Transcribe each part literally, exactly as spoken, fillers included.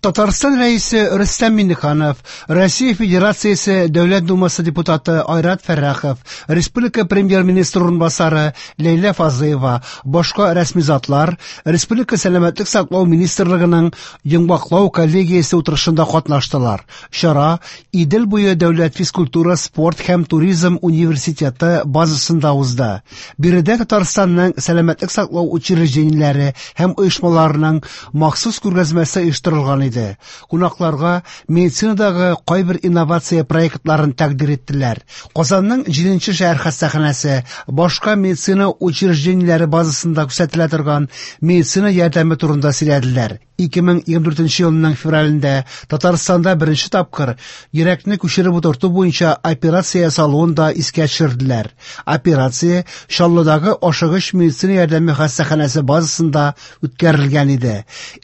Татарстан Рәисе Рөстәм Миңнеханов, Россия Федерациясе Дәүләт Думасы депутаты Айрат Фәррахов, Республика Премьер-министры урынбасары Ләйлә Фазлыева, башка рәсми затлар Республика Сәламәтлек саклау министрлыгының йомгаклау коллегиясе утырышында катнаштылар. Чара Идел буе дәүләт физкультура, спорт һәм туризм университеты базасында узды. Биредә Татарстанның сәламәтлек саклау учреждениеләре һәм оешмаларының махсус күргәзмәсе оештырылган иде. Кунакларга медицинадагы кайбер инновация проектларын тәкъдир иттеләр. Казанның җиденче шәһәр хастаханәсе башка медицина учреждениеләре базасында күрсәтелә торган медицина ярдәме турында сөйләделәр. ике мең егерме дүртенче елның февралендә Татарстанда беренче тапкыр йөрәкне күчереп утырту буенча операция ясалуын да искә төшерделәр. Операция Чаллыдагы ашыгыч медицина ярдәме хастаханәсе базасында үткәрелгән иде.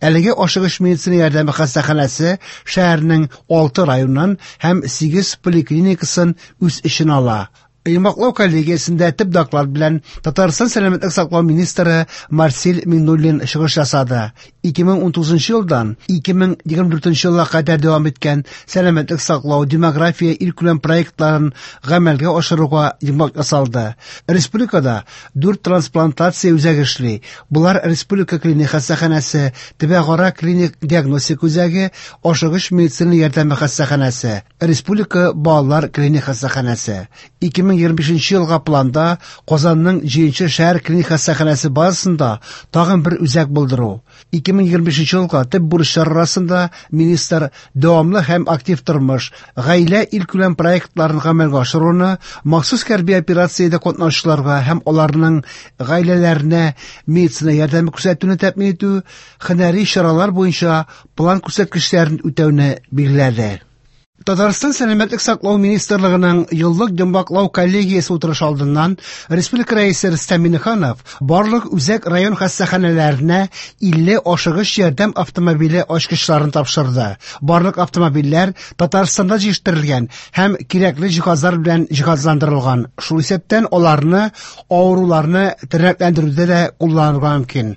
Әлеге ашыгыч медицина ярдәме хастаханәсе шәһәрнең алты районын һәм сигез поликлиникасын үз эченә ала. Йомгаклау коллегиясендә төп доклад белән Татарстан сәламәтлек саклау министры Марсель Миңнуллин чыгыш ясады. ике мең унтугызынчы елдан ике мең егерме дүртенче елга кадәр дәвам иткән сәламәтлек саклау, демография илкүләм проектларын гамәлгә ашыруга йомгак ясалды. Республикада дүрт трансплантация үзәге эшли. Булар Республика клиник хастаханәсе, Төбәкара клиник диагностик үзәге, ашыгыч медицина ярдәме хастаханәсе, Республика балалар клиник хастаханәсе. ике мең егерме бишенче елга планда Казанның җиденче шәһәр клиник хастаханәсе базасында тагын бер үзәк булдыру. ике мең егерме бишенче елга төп бурычлар арасында министр дәвамлы һәм актив тормыш, гаилә илкүләм проектларын гамәлгә ашыруны, махсус хәрби операциядә катнашучыларга һәм аларның гаиләләренә медицина ярдәме күрсәтүне тәэмин итү, һөнәри чаралар буенча план күрсәткечләрен үтәүне билгеләде. Татарстан Сәламәтлек саклау министрлыгының еллык йомгаклау коллегиясе утырышы алдыннан Республика Рәисе Рөстәм Миңнеханов барлык үзәк район хастаханәләренә илле ашыгыч ярдәм автомобиле ачкычларын тапшырды. Барлык автомобильләр Татарстанда җитештерелгән һәм кирәкле җиһазлар белән җиһазландырылган. Шул исәптән аларны авыруларны тернәкләндерүдә дә кулланырга мөмкин.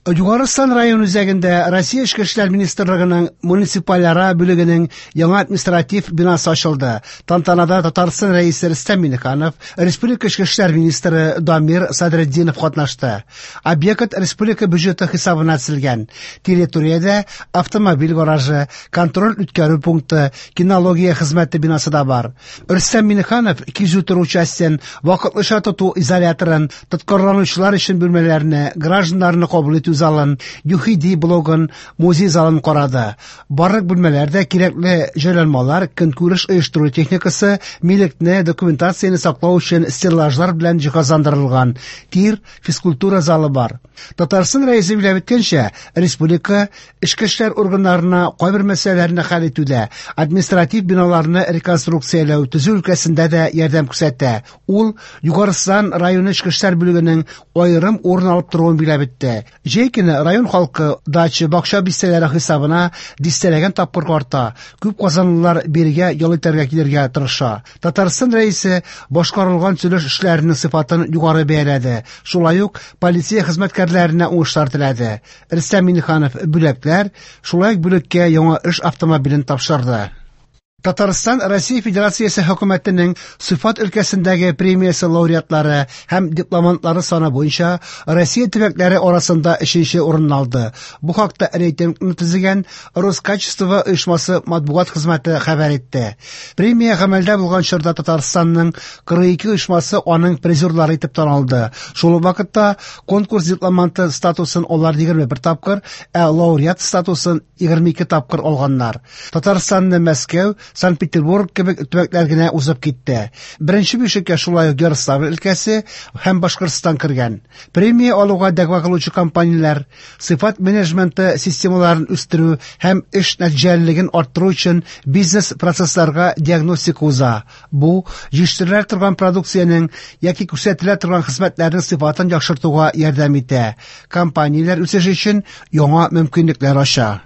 Югары Ослан район үзәгендә Россия Эчке эшләр министрлыгының муниципальара бүлегенең яңа административ бинасы ачылды. Тантанада Татарстан Рәисе Рөстәм Миңнеханов, Республика Эчке эшләр министры Дамир Садретдинов катнашты. Объект республика бюджеты хисабына төзелгән. Территориядә автомобиль гаражы, контроль үткәрү пункты, кинология хезмәте бинасы да бар. Рөстәм Миңнеханов кизү тору частен, вакытлыча тоту изоляторын, тоткарланучылар өчен бүлмәләрне, гражданнарны кабул итү залын, ЮХИДИ блогын, музей залын карады. Барлык бүлмәләрдә кирәкле җайланмалар, көнкүреш оештыру техникасы, милекне, документацияне саклау өчен стеллажлар белән җиһазландырылган тир, физкультура залы бар. Татарстан Рәисе билгеләп үткәнчә, республика эчке эшләр органнарына кайбер мәсьәләләрне хәл итүдә, административ биналарны реконструкцияләү, төзү өлкәсендә дә ярдәм күрсәтә. Ул Югары Ослан районы эчке эшләр бүлегенең аерым урын алып торуын билгеләп үтте. Җәй көне район халкы дача, бакча бистәләре хисабына дистәләгән тапкыр арта. Күп казанлылар бирегә ял итәргә килергә тырыша. Татарстан Рәисе башкарылган төзелеш эшләренең сыйфатын югары бәяләде. Шулай ук полиция хезмәткәрләренә уңышлар теләде. Рөстәм Миңнеханов бүләкләр, шулай ук бүлеккә яңа эш автомобилен тапшырды. Татарстан Россия Федерациясе хөкүмәтенең сыйфат өлкәсендәге премиясе лауреатлары һәм дипломантлары саны буенча Россия төбәкләре арасында өченче урын алды. Бу хакта рейтингны төзегән Роскачество оешмасы матбугат хезмәте хәбәр итте. Премия гамәлдә булган чорда Татарстанның кырык ике оешмасы аның призерлары итеп танылды. Шул ук вакытта конкурс дипломанты статусын алар егерме бер тапкыр, ә лауреат статусын егерме ике тапкыр алганнар. Татарстанны Мәскәү, Санкт-Петербург кебек төбәкләр генә узып китте. Беренче бишлеккә шулай ук Ярославль өлкәсе һәм Башкортстан кергән. Премия алуга дәгъва кылучы компанияләр сыйфат менеджменты системаларын үстерү һәм эш нәтиҗәлелеген арттыру өчен бизнес-процессларга диагностика уза. Бу җитештерелә торган продукциянең яки күрсәтелә торган хезмәтләрнең сыйфатын яхшыртуга ярдәм итә. Компанияләр үсеше өчен яңа мөмкинлекләр ача.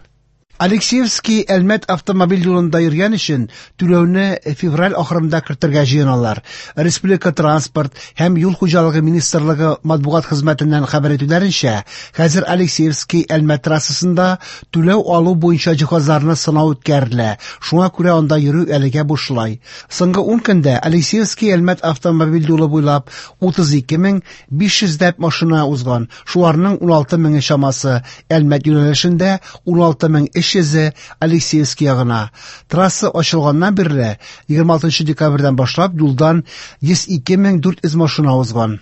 Алексеевский Әлмәт автомобиль юлында йөргән өчен түләүне февраль ахырында кертергә җыеналар. Республика транспорт һәм юл хуҗалыгы министрлыгы матбугат хезмәтеннән хәбәр итүләренчә, хәзер Алексеевский Әлмәт трассасында түләү алу буенча җиһазларны сынау үткәрелә. Шуңа күрә анда йөрү әлегә бушлай. Соңгы ун көндә Алексеевский Әлмәт автомобиль юлы буйлап утыз ике мең биш йөзләп машина узган. Шуларның ун алты меңе чамасы Әлмәт юнәлешендә, ун алты мең өч йөзе Алексеевский ягына. Трасса ачылганнан бирле егерме алтынчы декабрьдән башлап юлдан йөз ике мең дүрт йөз машина узган.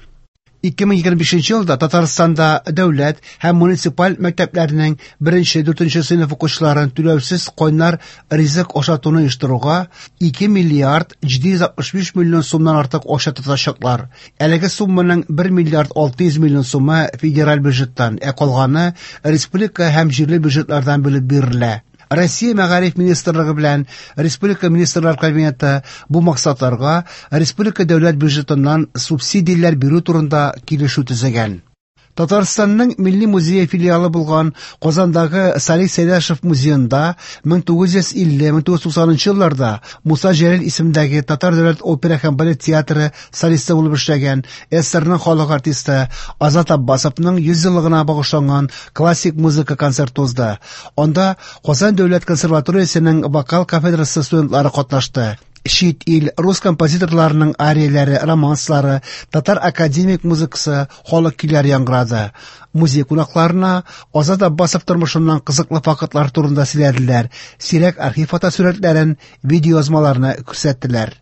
ике мең егерме бишенче елда Татарстанда дәүләт һәм муниципаль мәктәпләрнең беренче, дүртенче сыйныф укучыларын түләүсез кайнар ризык ашатуны оештыруга ике миллиард җиде йөз алтмыш биш миллион сумнан артык акча тотачаклар. Әлеге сумманың бер миллиард алты йөз миллион сумы федераль бюджеттан, ә калганы республика һәм җирле бюджетлардан бүлеп бирелә. Россия Мәгариф министрлыгы белән Республика Министрлар Кабинеты бу максатларга республика дәүләт бюджетыннан субсидияләр бирү турында килешү төзегән. Татарстанның Милли музее филиалы булган Казандагы Салих Сәйдәшев музеенда мең тугыз йөз илле, мең тугыз йөз туксанынчы елларда Муса Җәлил исемендәге Татар дәүләт опера һәм балет театры солисты булып эшләгән СССРның халык артисты Азат Аббасовның йөз еллыгына багышланган классик музыка концерты узды. Анда Казан дәүләт консерваториясенең вокал кафедрасы студентлары катнашты. Чит ил рус композиторларының арияләре, романслары, татар академик музыкасы, халык көйләре яңгырады. Музей кунакларына Азат Аббасов тормышыннан кызыклы фактлар турында сөйләделәр, сирәк архив фотосурәтләрен, видеоязмаларны күрсәттеләр.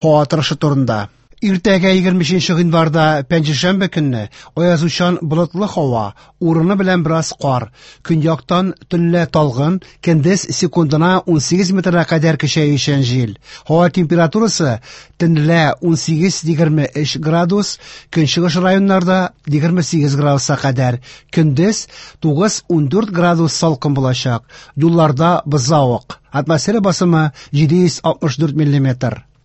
Һава торышы турында. Иртәгә егерме өченче гыйнварда пәнҗешәмбе көнне аязучан болытлы һава, урыны белән бераз кар. Көньяктан төнлә талгын, көндез секундына ун сигез метрга кадәр көчәючән җил. Һава температурасы төнлә ун сигез егерме өч градус, көнчыгыш районнарда егерме сигез градуска кадәр. Көндез тугыз ун дүрт градус салкын булачак. Юлларда бозлавык. Атмосфера басымы җиде йөз алтмыш дүрт миллиметр.